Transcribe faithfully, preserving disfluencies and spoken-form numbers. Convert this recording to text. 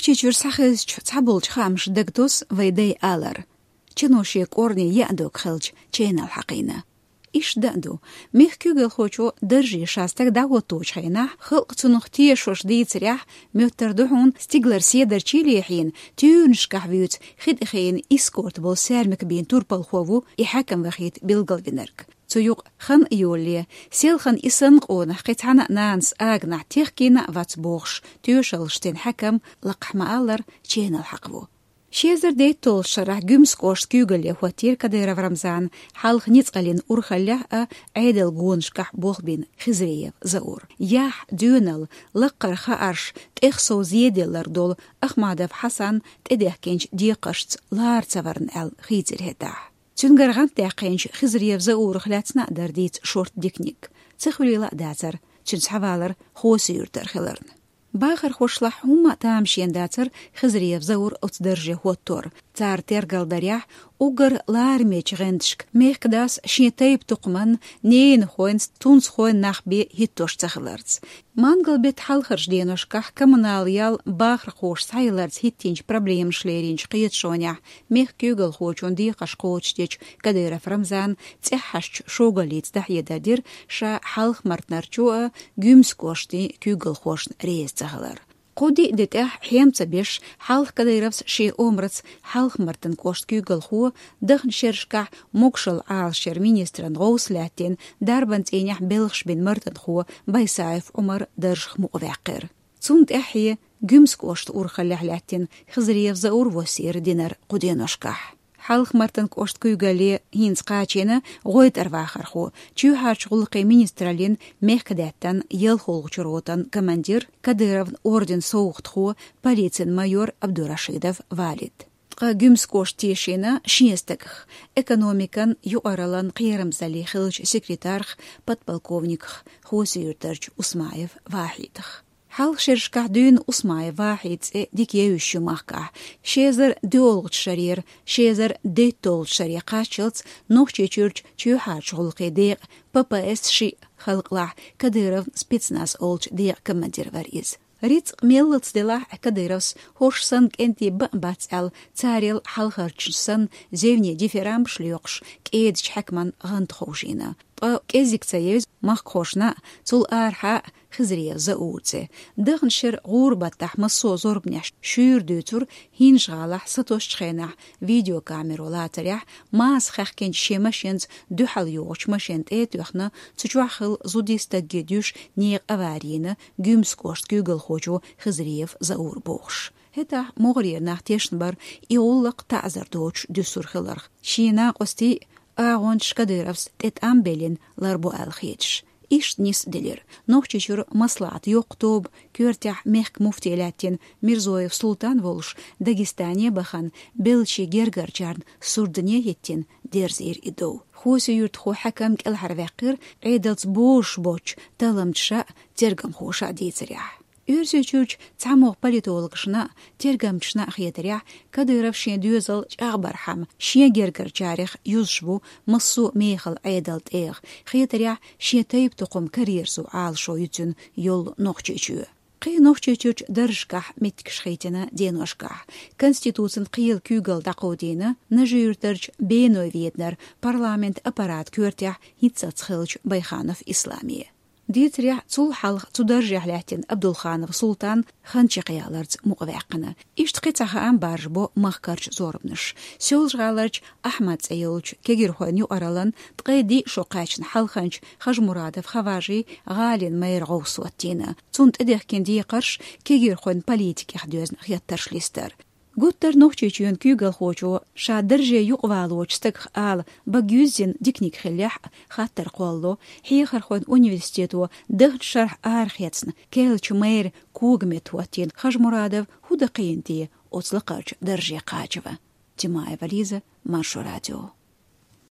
Нохчийчуьра схьахезачу цхьаболчу хаамаша дагатосу вайн дай алар: чано шен кӀорни яа дог хилча, ченал хьакхийна. Иштта дан а ду, мехкан куьйгалхочо дарже ша стаг дӀахӀотточу хенахь, халкъ цунах тешош дийцарехь, моьттар ду хьуна стигалара седарчий лехьийна, туьйранашкахь вуьйцу хи тӀе хиъна эскорт болу саьрмик бийна турпалхо ву и хьаькам вахийта билгалвинарг. Цу юкъа хан а йолале, селхана и санна къонах кхин цхьана а нанас аганахь техкийна а вац бохуш, тоьшаллаш дина хьаькам лакхахь ма-аллара ченал хьакха ву. Ши эзар дейтталгӀачу шарахь Гуьмсан кӀоштан куьйгалле хӀоттийра Кадыров Рамзан, хьалха ницкъаллин урхаллехь а, Ӏедалан гонашкахь болх бина Хизриев Заур. Яхь, доьналла, лаккхара хаарш, тӀех сов зеделларг долу Ахмадов Хьасан тӀедехкинчу декхаршца лара ца варна аьлла хийцира хӀетахь. Цуьнгара гӀантдаьккхинчу Хизриев Заурах лаьцна а дара дийца шорта диканиг. Ца хуьлийла а дацара цуьнан схьавалар Хоси-Юьртара хиларна. Бахархошлахь хӀумма а тамашийна дацара Хизриев Заур оцу дарже хӀоттор. Цара тергалдарехь, уггар ларамечу гӀанташка мехкан дас шен тайп-тукхаман, ненахойн, тунсхойн нах бен хӀиттош ца хиларца. Мангал-беттан хьалхарчу деношкахь коммунал ял бахархоша схьаяларца хӀиттинчу проблемаш леринчу кхеташонехь мехкан куьйгалхочун декхарш кхочушдечу Кадыров Рамзана цӀеххьашчу шогаллица дӀахьедар дира ша Хьалха-Мартанарчу а, Гуьмсан кӀоштан куьйгалхошна реза ца хилар. Кху-диъ де тӀехь хьем ца беш, хьалха Кадыровс шен омрица Хьалха-Мартан кӀоштан куьйгалхо, даханчу шерашкахь могушалла Ӏалашъяран министран гӀовс лаьттина, дарбан цӀийнехь белхаш бина мартанхо Байсаев Ӏумар даржах мукъаваьккхира. Цунна тӀаьхье Гуьмсан кӀоштан урхаллехь лаьттина Хизриев Заур воссийра динара кху деношкахь. Хьалха-Мартан кӀоштан куьйгалле хӀинца кхачийна гӀойтӀара вахархо, чоьхьарчу гӀуллакхийн министраллин мехкадаьттан ялхолгӀачу ротан командир, Кадыровн орденан совгӀатхо, полицин майор Абдурашидов Валид. Ткъа Гуьмсан кӀошта тешийна шен стагах: экономикан, юкъараллин, кхерамзаллин хиллачу секретарх, подполковниках Хоси-Юьртарчу Усмаев Вахьидах. Хьалха шерашкахь дуьйна Усмаев Вахьидан цӀе дика евзаш ю махкахь. Ши эзар доьалгӀачу шарера ши эзар дейтталгӀачу шаре кхаччалц Нохчийчуьрчу чоьхьарчу гӀуллакхийн декъан, П П С шиъ, халкъалахь Кадыровн спецназ олучу декъан командир вара иза. Рицкъ меллаца делахь а, Кадыровс хӀорш санна кӀентий бан а бац аьлла, царел хьалхарчу санна зевне дифирамбаш лоькхуш, кӀедачу хьаькаман гӀанта ховшийна. Ткъа кӀезиг ца евза махкахошна а, цул арахьа а Хизриев Заур цӀе. Даханчу шеран гӀуран баттахь массо а зорбанехь шуьйра дуьйцура ХӀинжа-ГӀалахь сатосучу хенахь видеокамеро лацарехь, маса хаьхкинчу шен машенца дуьхьал йогӀучу машен тӀе а тоьхна, цу чохь хилла зуди стаги дуьйш некъан авари йина Гуьмсан кӀоштан куьйгалхочо Хизриев Заура бохуш. ХӀетахь могӀарера нах тешна бара и гӀуллакх таӀзар доцуш дуьсур хиларх. Шен накъостий а, агӀончаш Кадыровс тӀе тӀам беллина ларбо аьлла хеташ. Иштта нисделира. Нохчийчуьра маслаӀатан йоккха тоба, коьртехь мехкан муфти лаьттина Мирзоев Султан волуш, Дагестане а бахана, беллачийн гергарчарна сурдане а хӀиттина, дерзийра и дов. Хоси-Юьртахо хьаькам кӀелхьарваьккхира, Ӏедалца бозуш боцчу талламчаша а, тергамхоша а дийцарехь. Оьрсийчуьрчу цхьамогӀа политологашна а, тергамчашна а хетарехь, Кадыров шен доьзал чӀагӀбархьама, шен гергарчарех юзуш ву массо а мехала Ӏедалан тӀегӀа, хетарехь, шен тайп-тукхам карайерзо Ӏалашо ю цуьнан йолу Нохчийчоь. Кхин Нохчийчуьрчу даржашкахь меттигаш хийтина деношкахь. Конституцин кхелан куьйгалла дӀакховдийна Нажи-Юьртарчу Беной Веданара парламентан аппарат коьртехь хӀинццалц хиллачу Байханов Исламе. Дийцарехь, цул хьалха цу даржехь лаьттина Абдулханов Султан хан чекхъяларца мукъаваьккхина. Иштта кхин цхьа хаам баржабо махкарчу зорбанаш. Соьлжа-ГӀаларчу Ахьмад цӀе йолчу кегирхойн юкъараллан ткъе диъ шо кхаьчна хьалханчу Хажмурадов Хаважин гӀалин мэран гӀовс хӀоттийна. Цунна тӀедехкина декхарш кегирхойн политикех доьзна хеттарш листар. Гуттар Нохчийчоьнан куьйгалхочо ша дарже юкъавалочу стагах ала бага юьззина диканиг хиллехь а, хаттар кхоллало, хьехархойн университето даханчу шарахь арахецна керлачу мэран когаметта хӀоттийна Хажмурадов хӀун дан кхиийна те оцу лакхарчу дарже кхачаван. Тимаева Лиза, Маршо радио.